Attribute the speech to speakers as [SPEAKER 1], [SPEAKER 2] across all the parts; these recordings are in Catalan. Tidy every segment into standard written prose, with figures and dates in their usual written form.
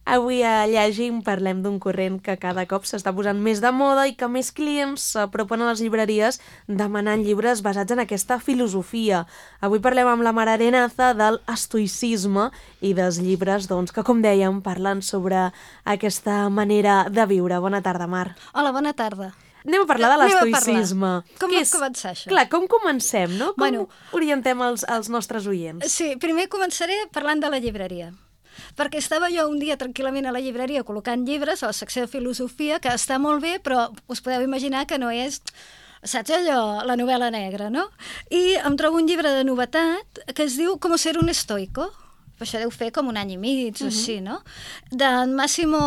[SPEAKER 1] Avui a Llegim parlem d'un corrent que cada cop s'està posant més de moda i que més clients s'apropen a les llibreries demanant llibres basats en aquesta filosofia. Avui parlem amb la Mar Arenaza del estoïcisme i dels llibres que, com dèiem, parlen sobre aquesta manera de viure. Bona tarda, Mar.
[SPEAKER 2] Hola, bona tarda.
[SPEAKER 1] Anem a parlar de l'estoïcisme.
[SPEAKER 2] Com va començar això?
[SPEAKER 1] Clar, com comencem, no? Com orientem els nostres oients?
[SPEAKER 2] Sí, primer començaré parlant de la llibreria. Perquè estava jo un dia tranquil·lament a la llibreria col·locant llibres a la secció de filosofia, que està molt bé, però us podeu imaginar que no és, saps allò, la novel·la negra, no? I em trobo un llibre de novetat que es diu Cómo ser un estoico. Això deu fer com un any i mig, o així, no? D'en Massimo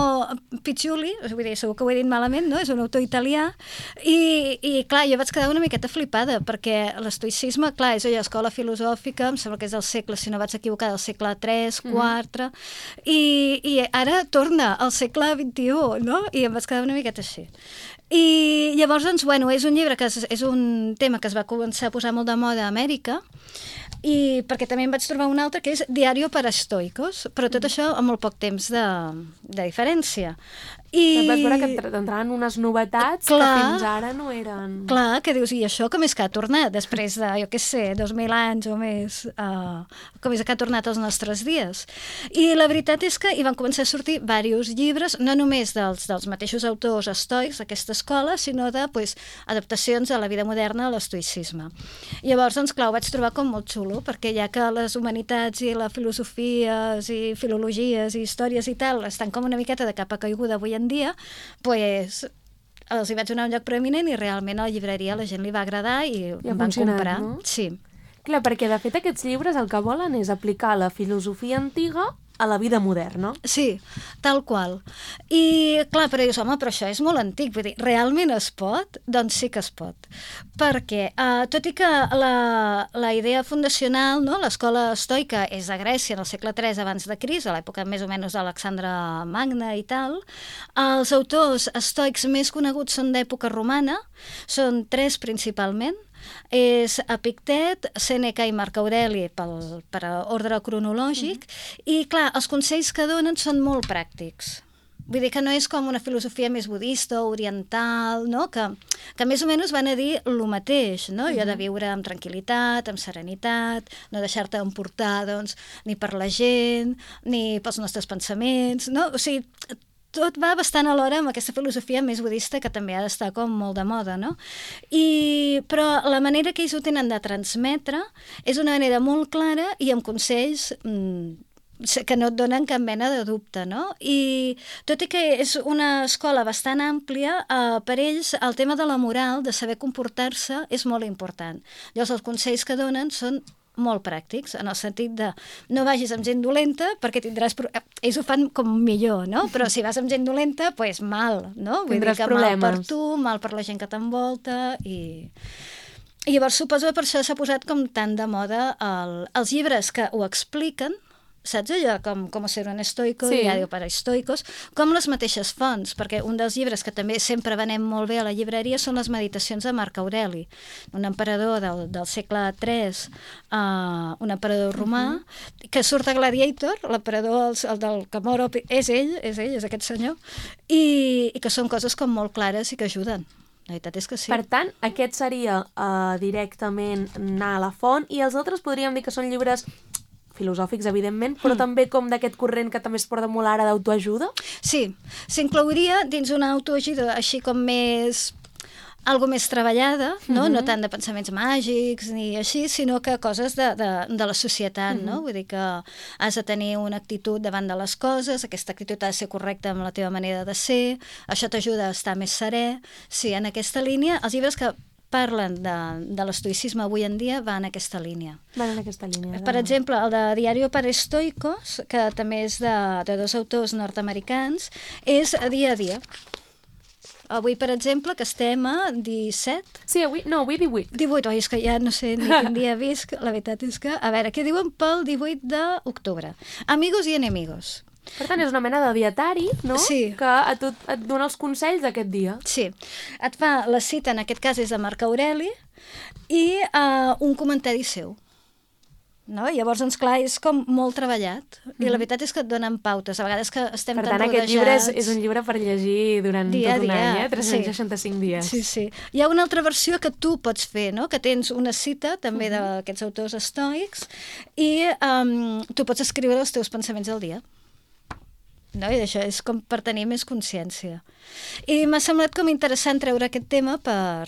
[SPEAKER 2] Piccioli, vull dir, segur que ho he dit malament, no? És un autor italià, i clar, jo vaig quedar una miqueta flipada, perquè l'estoïcisme, clar, és allò, escola filosòfica, em sembla que és del segle, si no vaig equivocar, del segle III, IV, i ara torna al segle XXI, no? I em vaig quedar una miqueta així. I llavors, doncs, bueno, és un llibre que és un tema que es va començar a posar molt de moda a Amèrica, i perquè també em vaig trobar un altre que és Diario para estoicos, però tot això amb molt poc temps de diferència.
[SPEAKER 1] I vas veure que entraven unes novetats que fins ara no eren...
[SPEAKER 2] Clar, que dius, i això com és que ha tornat després de, jo què sé, 2.000 anys o més, com és que ha tornat als nostres dies. I la veritat és que hi van començar a sortir diversos llibres, no només dels mateixos autors estoics d'aquesta escola, sinó de adaptacions a la vida moderna a l'estoïcisme. Llavors, doncs, clar, ho vaig trobar com molt xulo, perquè ja que les humanitats i la filosofia i filologies i històries i tal estan com una miqueta de capa caiguda avui en dia, doncs els hi vaig donar un lloc preeminent i realment a la llibreria la gent li va agradar i em van comprar.
[SPEAKER 1] No?
[SPEAKER 2] Sí.
[SPEAKER 1] Clar, perquè de fet aquests llibres el que volen és aplicar la filosofia antiga a la vida moderna.
[SPEAKER 2] Sí, tal qual. I clar, però dius, home, però això és molt antic, vull dir, realment es pot? Doncs sí que es pot. Perquè, tot i que la idea fundacional, no, l'escola estoica és a Grècia en el segle III abans de Crist, a l'època més o menys d'Alexandre Magne i tal, els autors estoics més coneguts són d'època romana, són 3 principalment, és Epictet, Sèneca i Marc Aureli per ordre cronològic, i clar, els consells que donen són molt pràctics. Vull dir que no és com una filosofia més budista o oriental, no? que més o menys van a dir el mateix, no? Allò de viure amb tranquil·litat, amb serenitat, no deixar-te emportar doncs, ni per la gent, ni pels nostres pensaments, no? O sigui, tot va bastant alhora amb aquesta filosofia més budista que també ha d'estar com molt de moda, no? Però la manera que ells ho tenen de transmetre és una manera molt clara i amb consells que no et donen cap mena de dubte, no? I tot i que és una escola bastant àmplia, per ells el tema de la moral, de saber comportar-se, és molt important. Llavors els consells que donen són molt pràctics, en el sentit de no vagis amb gent dolenta perquè tindràs... Ells ho fan com millor, no? Però si vas amb gent dolenta, doncs mal, no?
[SPEAKER 1] Tindràs
[SPEAKER 2] problemes. Mal per tu, mal per la gent que t'envolta i llavors suposo que per això s'ha posat com tan de moda els llibres que ho expliquen, saps allò, com ser un estoico,
[SPEAKER 1] sí.
[SPEAKER 2] Diario para estoicos, com les mateixes fonts, perquè un dels llibres que també sempre venem molt bé a la llibreria són les meditacions de Marc Aureli, un emperador del segle III, un emperador romà, que surt a Gladiator, l'emperador, el del que mor, és ell, és aquest senyor, i que són coses com molt clares i que ajuden. La veritat és que sí.
[SPEAKER 1] Per tant, aquest seria directament anar a la font, i els altres podríem dir que són llibres filosòfics, evidentment, però també com d'aquest corrent que també es porta molt ara d'autoajuda?
[SPEAKER 2] Sí, s'inclouria dins una autoajuda així com més... algo més treballada, no? No tant de pensaments màgics ni així, sinó que coses de la societat, no? Vull dir que has de tenir una actitud davant de les coses, aquesta actitud ha de ser correcta amb la teva manera de ser, això t'ajuda a estar més serè. Sí, en aquesta línia, els llibres que parlen de l'estoïcisme avui en dia van en aquesta línia.
[SPEAKER 1] Van en aquesta línia.
[SPEAKER 2] Per exemple, el de Diario para estoicos, que també és de 2 autors nord-americans, és dia a dia. Avui, per exemple, que estem a 17...
[SPEAKER 1] Sí, avui 18.
[SPEAKER 2] 18, és que ja no sé ni quin dia visc. La veritat és que... A veure, què diuen pel 18 d'octubre? Amigos y enemigos.
[SPEAKER 1] Per tant, és una mena de dietari, no?
[SPEAKER 2] Sí.
[SPEAKER 1] Que a tu et dona els consells d'aquest dia.
[SPEAKER 2] Sí. Et fa la cita, en aquest cas és de Marc Aureli, i un comentari seu. no? I llavors, doncs, clar, és com molt treballat. I la veritat és que et donen pautes. A vegades que estem
[SPEAKER 1] Per
[SPEAKER 2] tan
[SPEAKER 1] tant,
[SPEAKER 2] rodejats...
[SPEAKER 1] aquest llibre és un llibre per llegir durant
[SPEAKER 2] dia
[SPEAKER 1] tot un
[SPEAKER 2] a dia,
[SPEAKER 1] any, 365 dies.
[SPEAKER 2] Sí, sí. Hi ha una altra versió que tu pots fer, no? Que tens una cita també d'aquests autors estoics i tu pots escriure els teus pensaments del dia. No? I això és com per tenir més consciència. I m'ha semblat com interessant treure aquest tema per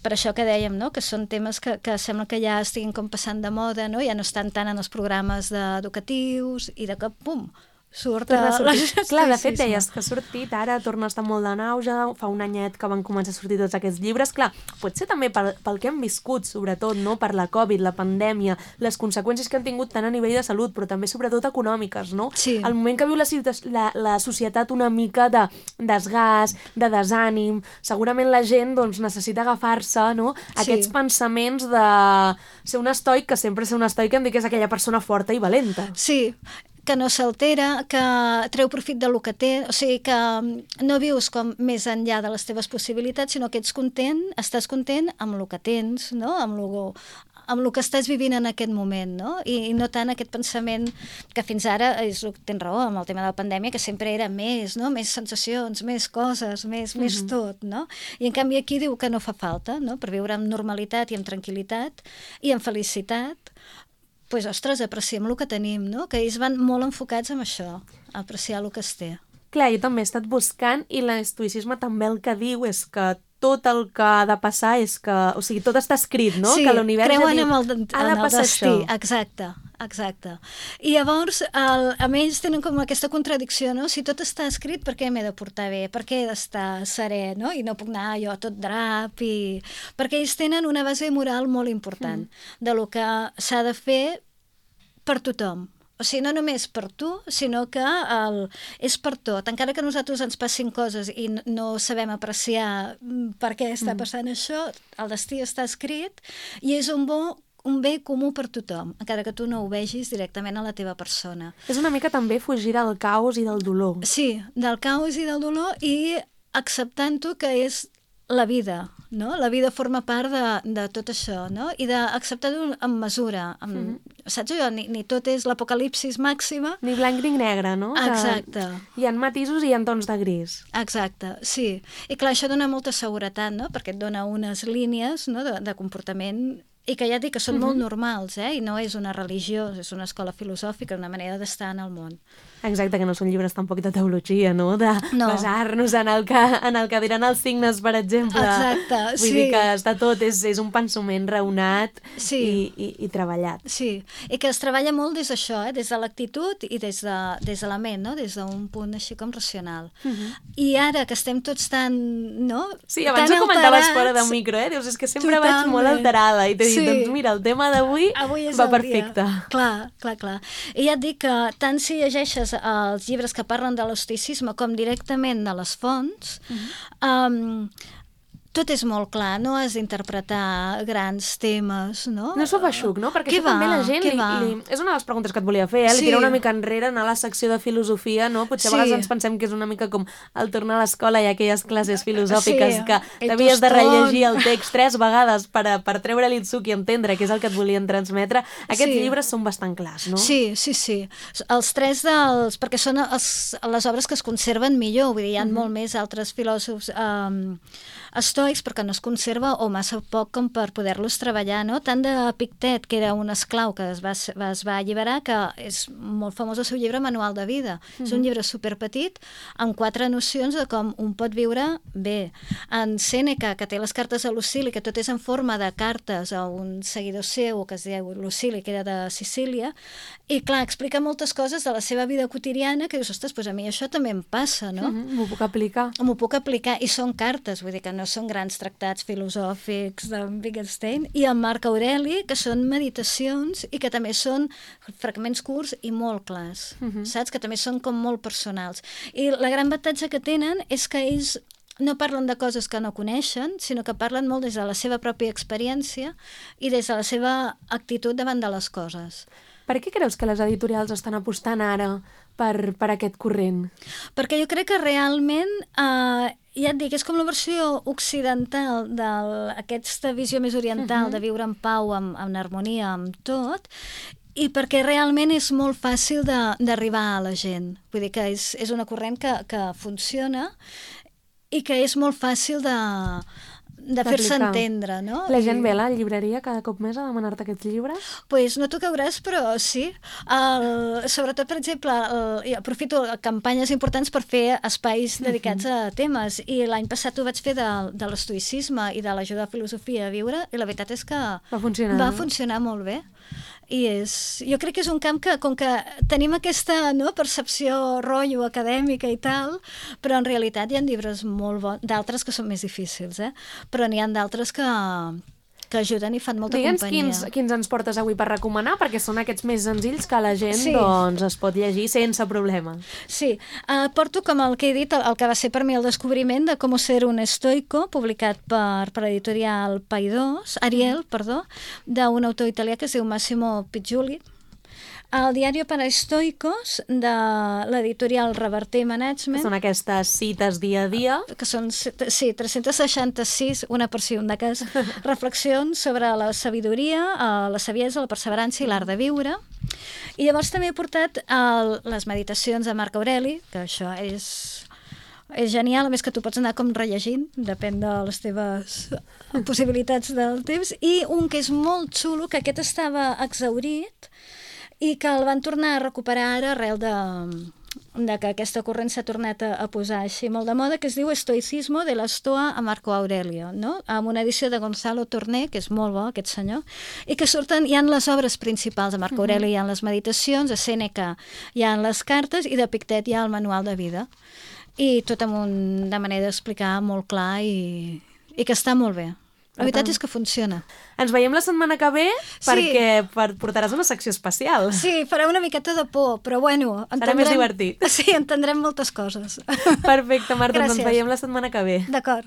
[SPEAKER 2] això que dèiem, no? Que són temes que sembla que ja estiguin com passant de moda, no? Ja no estan tant en els programes educatius i de cop, pum, surt
[SPEAKER 1] Clar, de fet, deies que ha sortit, ara torna a estar molt en auge, fa un anyet que van començar a sortir tots aquests llibres. Clar, pot ser també pel que hem viscut, sobretot, no? Per la Covid, la pandèmia, les conseqüències que han tingut tant a nivell de salut, però també sobretot econòmiques, no?
[SPEAKER 2] Sí.
[SPEAKER 1] El moment que viu la societat una mica de desgast, de desànim, segurament la gent doncs, necessita agafar-se, no? Aquests pensaments de ser un estoic, que sempre ser un estoic em dic que és aquella persona forta i valenta.
[SPEAKER 2] Sí, que no s'altera, que treu profit del que té, o sigui que no vius com més enllà de les teves possibilitats, sinó que ets content, estàs content amb el que tens, no? amb el que estàs vivint en aquest moment, no? I no tant aquest pensament que fins ara, tens raó, amb el tema de la pandèmia, que sempre era més, no? Més sensacions, més coses, més tot, no? I en canvi aquí diu que no fa falta, no? Per viure amb normalitat i amb tranquil·litat i amb felicitat, doncs, ostres, apreciem el que tenim, no? Que ells van molt enfocats en això, a apreciar el que es té.
[SPEAKER 1] Clar, jo també he estat buscant i l'estoïcisme també el que diu és que tot el que ha de passar és que... O sigui, tot està escrit, no?
[SPEAKER 2] Sí,
[SPEAKER 1] que l'univers
[SPEAKER 2] creuen
[SPEAKER 1] ha
[SPEAKER 2] en el
[SPEAKER 1] passar
[SPEAKER 2] destí.
[SPEAKER 1] això.
[SPEAKER 2] Exacte. I llavors, a ells tenen com aquesta contradicció, no? Si tot està escrit, per què m'he de portar bé? Per què he d'estar serè, no? I no puc anar jo tot drap i... Perquè ells tenen una base moral molt important de lo que s'ha de fer per tothom. O sigui, no només per tu, sinó que és per tot. Encara que a nosaltres ens passin coses i no sabem apreciar per què està passant això, el destí està escrit i és un bé comú per tothom, encara que tu no ho vegis directament a la teva persona.
[SPEAKER 1] És una mica també fugir del caos i del dolor.
[SPEAKER 2] Sí, del caos i del dolor i acceptant-ho que és la vida, no? La vida forma part de tot això, no? I d'acceptar-ho amb mesura. Saps allò? Ni tot és l'apocalipsis màxima.
[SPEAKER 1] Ni blanc ni negre, no?
[SPEAKER 2] Exacte.
[SPEAKER 1] Hi ha matisos i hi ha tons de gris.
[SPEAKER 2] Exacte, sí. I clar, això dona molta seguretat, no? Perquè et dona unes línies, no? de comportament i que ja et dic que són molt normals, i no és una religió, és una escola filosòfica, una manera d'estar en el món.
[SPEAKER 1] Exacte, que no són llibres tampoc de teologia, no? De basar-nos en el que diran els signes, per exemple.
[SPEAKER 2] Exacte, sí.
[SPEAKER 1] Vull dir que està tot, és un pensament raonat i treballat.
[SPEAKER 2] Sí, i que es treballa molt des d'això, des de l'actitud i des de la ment, no? Des d'un punt així com racional. I ara que estem tots tan, no?
[SPEAKER 1] Sí, abans ho comentaves fora de micro, Dius, és que sempre vaig molt alterada i t'he dit, doncs mira, el tema d'avui va perfecte.
[SPEAKER 2] Clar. I ja et dic que tant si llegeixes els llibres que parlen de l'estoïcisme com directament de les fonts, tot és molt clar, no has d'interpretar grans temes, no?
[SPEAKER 1] No s'ho feixuc, no? Perquè això també la gent és una de les preguntes que et volia fer, li tira una mica enrere, anar a la secció de filosofia, no? Potser a vegades ens pensem que és una mica com el tornar a l'escola i aquelles classes filosòfiques que t'havies de rellegir el text 3 vegades per treure-li el suc i entendre què és el que et volien transmetre. Aquests llibres són bastant clars, no?
[SPEAKER 2] Sí. Els 3 perquè són les obres que es conserven millor, vull dir, hi ha molt més altres filòsofs estoics, perquè no es conserva o massa poc com per poder-los treballar, no? Tant de Pictet, que era un esclau que es va alliberar, que és molt famós el seu llibre Manual de vida. És un llibre superpetit, amb 4 nocions de com un pot viure bé. En Sèneca, que té les cartes a Lucili, que tot és en forma de cartes a un seguidor seu, que es diu Lucili, que era de Sicília, i clar, explica moltes coses de la seva vida quotidiana, que dius, ostres, doncs a mi això també em passa, no?
[SPEAKER 1] M'ho puc aplicar.
[SPEAKER 2] M'ho puc aplicar, i són cartes, vull dir que no són grans tractats filosòfics de Wittgenstein, i en Marc Aureli, que són meditacions i que també són fragments curts i molt clars, saps? Que també són com molt personals. I la gran avantatge que tenen és que ells no parlen de coses que no coneixen, sinó que parlen molt des de la seva pròpia experiència i des de la seva actitud davant de les coses.
[SPEAKER 1] Per què creus que les editorials estan apostant ara per aquest corrent?
[SPEAKER 2] Perquè jo crec que realment ja et dic, és com la versió occidental d'aquesta visió més oriental de viure en pau, en harmonia, amb tot, i perquè realment és molt fàcil d'arribar a la gent. Vull dir que és una corrent que funciona i que és molt fàcil de fer-se entendre, no?
[SPEAKER 1] La gent ve a la llibreria cada cop més a demanar-te aquests llibres?
[SPEAKER 2] Pues no t'ho creuràs, però sí. Sobretot, per exemple, aprofito campanyes importants per fer espais dedicats a temes, i l'any passat ho vaig fer de l'estoïcisme i de l'ajuda a la filosofia a viure, i la veritat és que va funcionar molt bé. I jo crec que és un camp que, com que tenim aquesta percepció rotllo acadèmica i tal, però en realitat hi ha llibres molt bons, d'altres que són més difícils, però n'hi ha d'altres que ajuden i fan molta companyia.
[SPEAKER 1] Digue'ns quins ens portes avui per recomanar, perquè són aquests més senzills que la gent doncs, es pot llegir sense problema.
[SPEAKER 2] Sí, porto, com el que he dit, el que va ser per mi el descobriment de Cómo ser un estoico, publicat per l'editorial Ariel, d'un autor italià que es diu Massimo Picciulli. El Diario para Estoicos, de l'editorial Reverter Management.
[SPEAKER 1] Són aquestes cites dia a dia.
[SPEAKER 2] Que són, 366, una per si un de cas, reflexions sobre la sabidoria, la saviesa, la perseverança i l'art de viure. I llavors també he portat les meditacions de Marc Aureli, que això és genial, a més que tu pots anar com rellegint, depèn de les teves possibilitats del temps, i un que és molt xulo, que aquest estava exhaurit, i que el van tornar a recuperar ara arrel de que aquesta corrent s'ha tornat a posar així molt de moda, que es diu Estoicismo de l'Estoa a Marco Aurelio, no? Amb una edició de Gonzalo Torné, que és molt bo, aquest senyor, i que surten, hi ha les obres principals de Marco Aurelio, hi ha les meditacions, a Sèneca hi ha les cartes, i de Pictet hi ha el manual de vida. I tot amb una manera d'explicar molt clar i que està molt bé. La veritat és que funciona.
[SPEAKER 1] Ens veiem la setmana que ve perquè portaràs una secció especial.
[SPEAKER 2] Sí, farà una miqueta de por, però bueno...
[SPEAKER 1] Serà més divertit.
[SPEAKER 2] Sí, entendrem moltes coses.
[SPEAKER 1] Perfecte, Marta, doncs ens veiem la setmana que ve.
[SPEAKER 2] D'acord.